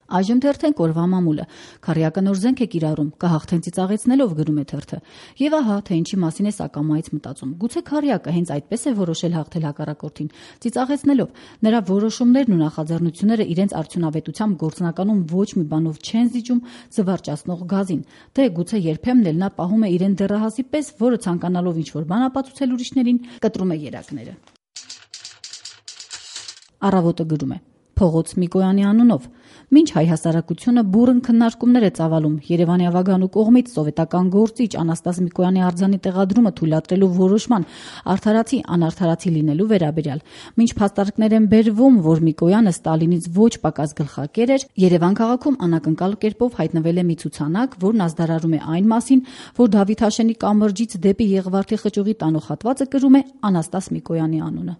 Այժմ թերթենք օրվա մամուլը։ Քառյակը նոր զենք է կիրառում, կհաղթեն ծիծաղեցնելով, գրում է թերթը։ Եվ ահա, թե ինչի մասին է սակամայից մտածում։ Գուցե քառյակը հենց այդպես է որոշել հաղթել հակառակորդին, ծիծաղեցնելով։ Նրա որոշումներն ու նախաձեռնությունները իրենց արդյունավետությամբ գործնականում ոչ մի բանով չեն զիջում զվարճացնող գազին։ Դե գուցե երբեմն էլ նա պահում է իրեն դեռահասի պես, որը ցանկանալով ինչ-որ բան ապացուցել ուրիշներին, կտրում է երակները։ Առավոտը գրում է. Փողոց Միկոյանի անունով։ Մինչ հայ հասարակությունը բուռն քննարկումներ է ծավալում Երևանի ավագանու կողմից սովետական գործիչ Անաստաս Միկոյանի արձանի տեղադրումը թույլատրելու որոշման արդարացի անարդարացի լինելու վերաբերյալ, մինչ փաստարկներ են բերվում, որ Միկոյանը Ստալինից ոչ պակաս գլխակեր էր, Երևան քաղաքում անակնկալ կերպով հայտնվել է մի ցուցանակ, որն ազդարարում է այն մասին, որ Դավիթ Հաշենի կամրջից դեպի Եղվարդի խճուղի տանող հատվածը կրում է Անաստաս Միկոյանի անունը։